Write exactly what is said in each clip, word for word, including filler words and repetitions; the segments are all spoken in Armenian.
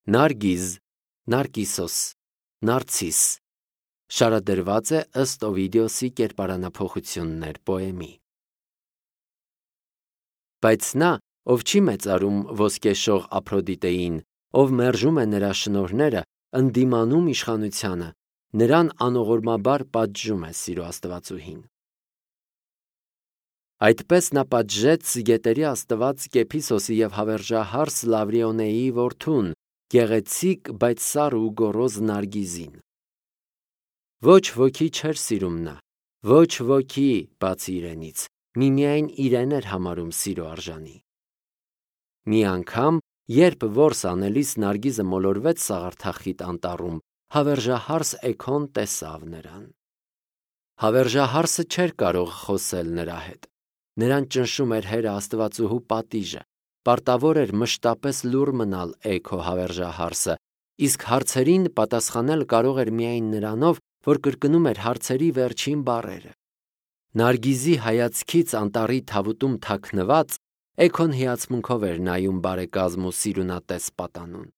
Նարգիզ, Նարկիսոս, Նարցիս շարադրված է ըստ Օվիդիոսի կերպարանափոխություններ պոեմի։ Բայց նա, ով չի մեծարում ոսկեշող Ափրոդիտեին, ով մերժում է նրա շնորհները, ընդդիմանում իշխանությանը, նրան անողորմաբար պատժում է սիրո աստվածուհին։ Այդպես նա պատժեց գետերի աստված Կեփիսոսի և հավերժահարս Լավրիոնեի որդուն, գեղեցիկ, բայց սառը ու գոռոզ Նարգիզին։ Ոչ ոքի չէր սիրում նա, ոչ ոքի, բացի իրենից, միմիայն իրեն էր համարում սիրո արժանի։ Մի անգամ, երբ որս անելիս Նարգիզը մոլորվեց սաղարթախիտ անտառում, հավերժահարս Էգոն տեսավ նրան։ Հավերժահարսը չէր կարող խոսել նրա հետ։ Նրան ճնշում էր Հերը Աստվածուհու պատիժը, պարտավոր էր մշտապես լուռ մնալ Էգո հավերժահարսը, իսկ հարցերին պատասխանել կարող էր միայն նրանով, որ կրկնում էր հարցերի վերջին բառերը։ Նարգիզի հայացքից անտառի թավուտում թաքնված, Էգոն հիացմունքով էր նայում բարեկազմ ու սիրունատես պատանուն։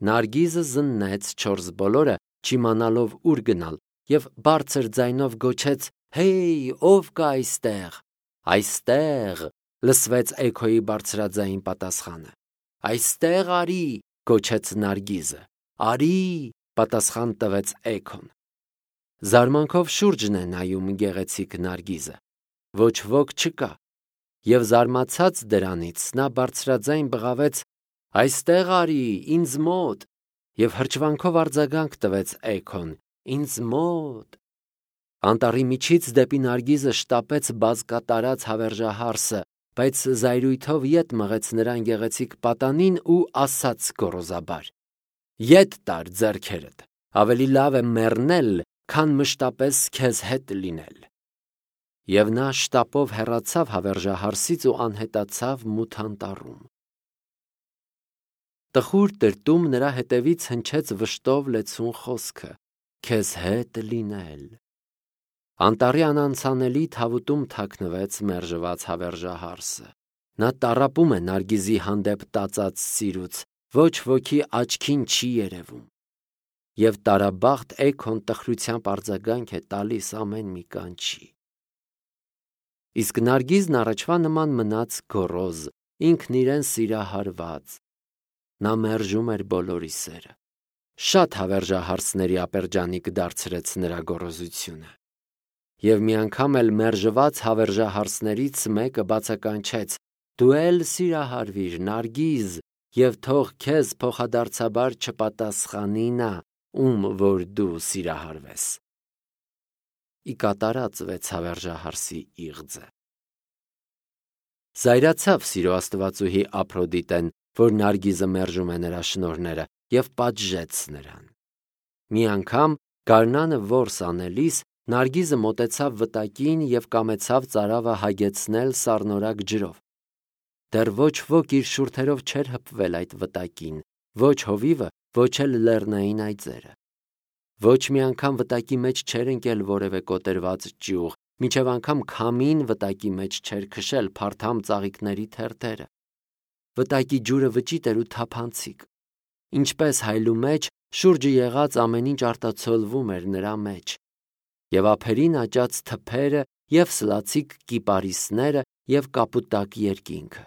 Նարգիզը զննեց չորս բոլորը, չիմանալով ուր գնալ, և բարձր ձայնով գոչեց. «Հեյ, ո՞վ կա այստեղ»։ «Այստեղ», լսվեց Էգոյի բարձրաձայն պատասխանը։ «Այստեղ արի», գոչեց Նարգիզը։ «Արի», պատասխան տվեց Էգոն։ Զարմանքով շուրջն է նայում գեղեցիկ Նարգիզը։ Ոչ ոք չկա։ Եվ զարմացած դրանից, նա բարձրաձայն բղավեց. «Այստեղ արի, ինձ մոտ», և հրճվանքով արձագանք տվեց Էգոն. «Ինձ մոտ»։ Անտառի միջից դեպի Նարգիզը շտապեց բազկատարած հավերժահարսը, բայց զայրույթով ետ մղեց նրան գեղեցիկ պատանին ու ասաց գոռոզաբար. «Ետ տար ձեռքերդ, ավելի լավ է մեռնել, քան մշտապես քեզ հետ լինել»։ Եվ նա շտապով հեռացավ հավերժահարսից ու անհետացավ մութ անտառում։ Տխուր տրտում նրա հետևից հնչեց վշտով լեցուն խոսքը. «Քեզ հետ լինել»։ Անտառի անանցանելի թավուտում թաքնվեց մերժված հավերժահարսը։ Նա տառապում է Նարգիզի հանդեպ տածած սիրուց, ոչ ոքի աչքին չի երևում։ Եվ տարաբախտ Էգոն տխրությամբ արձագանք է տալիս ամեն մի կանչի։ Իսկ Նարգիզն առաջվա նման մնաց գոռոզ, ինքն իրեն սիրահարված։ Նա մերժում էր բոլորի սերը։ Շատ հավերժահարսների ապերջանիկ դարձրեց նրա գոռոզությունը։ Եվ մի անգամ էլ մերժված հավերժահարսներից մեկը բացականչեց. «Դու էլ սիրահարվիր, Նարգիզ, և թող քեզ փոխադարձաբար չպատասխանի նա, ում որ դու սիրահարվես»։ Ի կատարածվեց հավերժահարսի իղձը։ Զայրացավ սիրո աստվածուհի Ափրոդիտեն, որ Նարգիզը մերժում է նրա շնորհները, և պատժեց նրան։ Մի անգամ, գարնանը որս անելիս, Նարգիզը մոտեցավ վտակին և կամեցավ ծարավը հագեցնել սառնորակ ջրով։ Դեռ ոչ ոք իր շուրթերով չէր հպվել այդ վտակին, ոչ հովիվը, ոչ էլ լեռնային այծերը։ Ոչ մի անգամ վտակի մեջ չէր ընկել որևէ կոտրված ճյուղ, մինչև անգամ քամին վտակի մեջ չէր քշել փարթամ ծաղիկների թերթերը։ Վտակի ջուրը վճիտ էր ու թափանցիկ։ Ինչպես հայլու մեջ, շուրջը եղած ամեն ինչ արտացոլվում էր նրա մեջ։ Եվ ափերին աճած թփերը, և սլացիկ կիպարիսները, և կապուտակ երկինքը։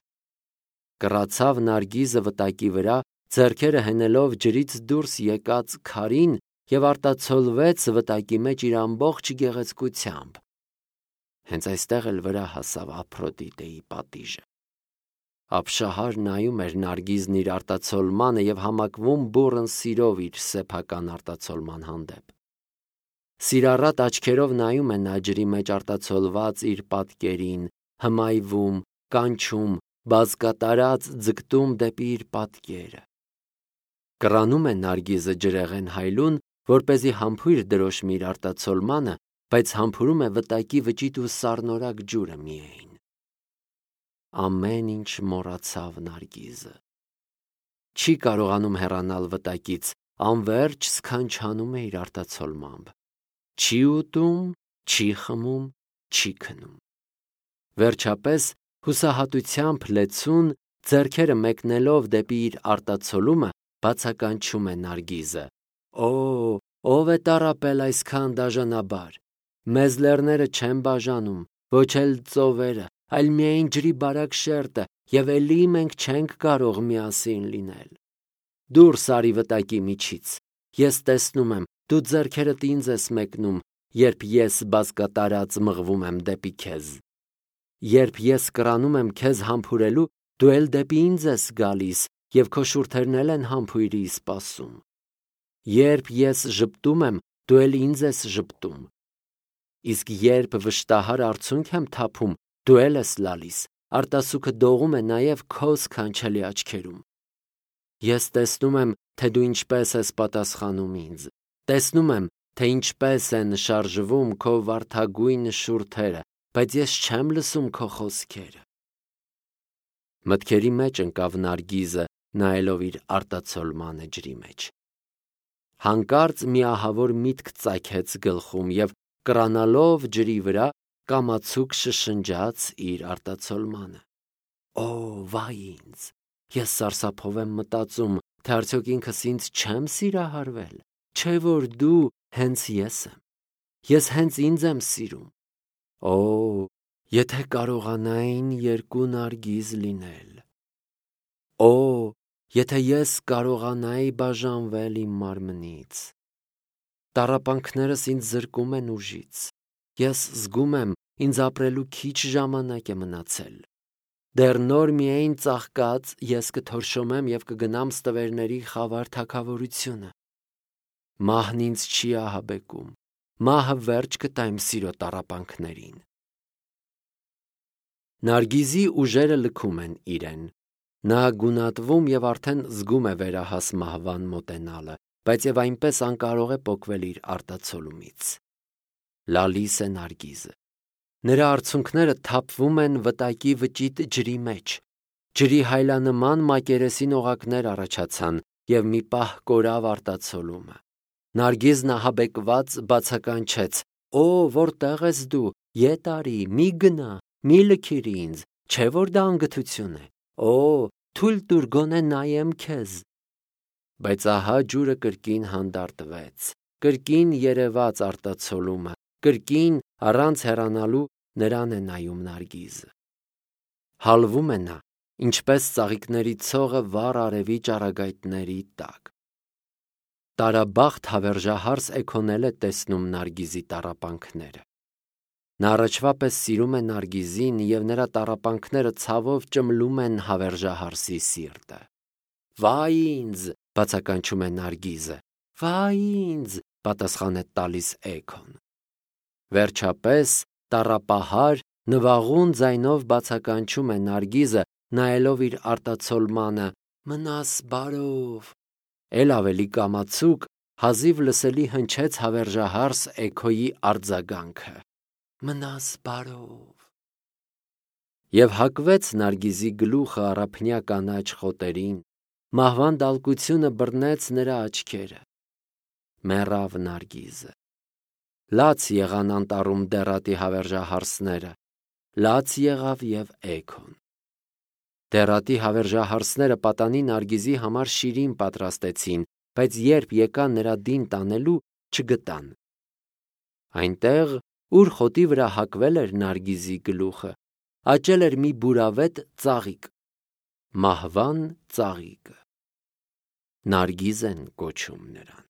Կռացավ Նարգիզը վտակի վրա, ձեռքերը հենելով ջրից դուրս եկած քարին և արտացոլվեց վտակի մեջ իր ամբողջ գեղեցկությամբ։ Հենց այստեղ էլ վրա հասավ Ափրոդիտեի պատիժը։ Ապշահար նայում էր Նարգիզն իր արտացոլմանը և համակվում բուռն սիրով իր սեփական արտացոլման հանդեպ։ Սիրառատ աչքերով նայում է նա ջրի մեջ արտացոլված իր պատկերին, հմայվում, կանչում, բազկատարած ձգտում դեպի իր պատկերը։ Կռանում է Նարգիզը ջրեղեն հայլուն, որպեսզի համբույր դրոշմի իր արտացոլմանը, բայց համբուրում է վտակի վճիտ ու սառնորակ ջուրը միայն։ Ամեն ինչ մոռացավ Նարգիզը։ Չի կարողանում հեռանալ վտակից, անվերջ սքանչանում է իր արտացոլմամբ։ Չի ուտում, չի խմում, չի քնում։ Վերջապես, հուսահատությամբ լեցուն, ձեռքերը մեկնելով դեպի իր արտացոլումը, բացականչում է Նարգիզը։ Օ, ով է տառապել այսքան դաժանաբար։ Մեզ լեռները չեն բաժանում, ոչ էլ ծովերը, այլ միայն ջրի բարակ շերտը, եւ էլի մենք չենք կարող միասին լինել։ Դուրս արի վտակի միջից։ Ես տեսնում եմ, դու ձեռքերդ ինձ ես մեկնում, երբ ես բազկատարած մղվում եմ դեպի քեզ։ Երբ ես կրանում եմ քեզ համբուրելու, դու էլ դեպի ինձ ես գալիս, եւ քո շուրթերն էլ են համբույրի սպասում։ Երբ ես ժպտում եմ, դու էլ ինձ ես ժպտում։ Իսկ երբ վշտահար արցունք եմ թափում, դու էլ ես լալիս, արտասուքը դողում է նաև քո սքանչելի աչքերում։ Ես տեսնում եմ, թե դու ինչպես ես պատասխանում ինձ, տեսնում եմ, թե ինչպես են շարժվում քո վարդագույն շուրթերը, բայց ես չեմ լսում քո խոսքերը։ Մտքերի մեջ ընկավ Նարգիզը, նայելով իր արտացոլմանը ջրի մեջ։ Հանկարծ մի ահավոր միտք ծագեց գլխում եւ կրանալով ջրի վրա կամացուկ շշնջաց իր արտացոլմանը։ Օ, վայ ինձ, ես սարսափով եմ մտածում, թե արդյոք ինքս ինձ չեմ սիրահարվել, չէ որ դու հենց ես եմ, ես հենց ինձ եմ սիրում։ Օ, եթե կարողանային երկու Նարգիզ լինել։ Օ, եթե ես կարողանայի բաժանվել իմ մարմնից։ Տառապանքներս ինձ զրկում են ուժից։ Ես զգում եմ, ինձ ապրելու քիչ ժամանակ է մնացել։ Դեռ նոր միայն ծաղկած ես կթորշոմեմ եւ կգնամ ստվերների խավար թագավորությունը։ Մահն ինձ չի ահաբեկում։ Մահը վերջ կտա իմ սիրո տառապանքներին։ Նարգիզի ուժերը լքում են իրեն։ Նա գունատվում եւ արդեն զգում է վերահաս մահվան մոտենալը, բայց եւ այնպես անկարող է պոկվել իր արտացոլումից։ Լալիս է Նարգիզը։ Նրա արցունքները թափվում են վտակի վճիտ ջրի մեջ։ Ջրի հայլանման մակերեսին օղակներ առաջացան եւ մի պահ կորավ արտացոլումը։ Նարգիզն ահաբեկված բացականչեց. Օ, որտեղ ես դու, ետ արի, մի գնա, մի լքիր ինձ, չէ որ դա անգթություն է։ Օ, թույլ տուր գոնե նայեմ քեզ։ Բայց ահա ջուրը կրկին հանդարտվեց, կրկին երևաց արտացոլումը, կրկին առանց հեռանալու նրան է նայում Նարգիզը։ Հալվում է նա, ինչպես ծաղիկների ցողը վառ արևի ճառագայթների տակ։ Տարաբախտ հավերժահարս էքոնել է տեսնում Նարգիզի տառապանքները։ Նա առաջվա պես սիրում է Նարգիզին և նրա տառապանքները ցավով ճմլում են հավերժահարսի սիրտը։ Վայ ինձ, բացականչում է Նարգիզը, վայ ինձ, պատասխան է տալիս էքոն։ Վերջապես տառապահար, նվաղուն ձայնով բացականչում է Նարգիզը, նայելով իր արտացոլմանը. մնաս բարով։ Էլ ավելի կամացուկ, հազիվ լսելի հնչեց հավերժահարս էքոյի արձագանքը. մնաս բարով։ Եվ հակվեց Նարգիզի գլուխը առափնյա կանաչ խոտերին, մահվան դալկությունը բռնեց նրա աչքերը։ Մեռավ Նարգիզը։ Լաց եղան անտառում դեռատի հավերժահարսները, լաց եղավ և էքոն։ Դեռատի հավերժահարսները պատանի Նարգիզի համար շիրին պատրաստեցին, բայց երբ եկան նրա դին տանելու, չգտան։ Այնտեղ, ուր խոտի վրա հակվել էր Նարգիզի գլուխը, աճել էր մի բուրավետ ծաղիկ, մահվան ծաղիկը։ Նարգիզ են կոչում նրան։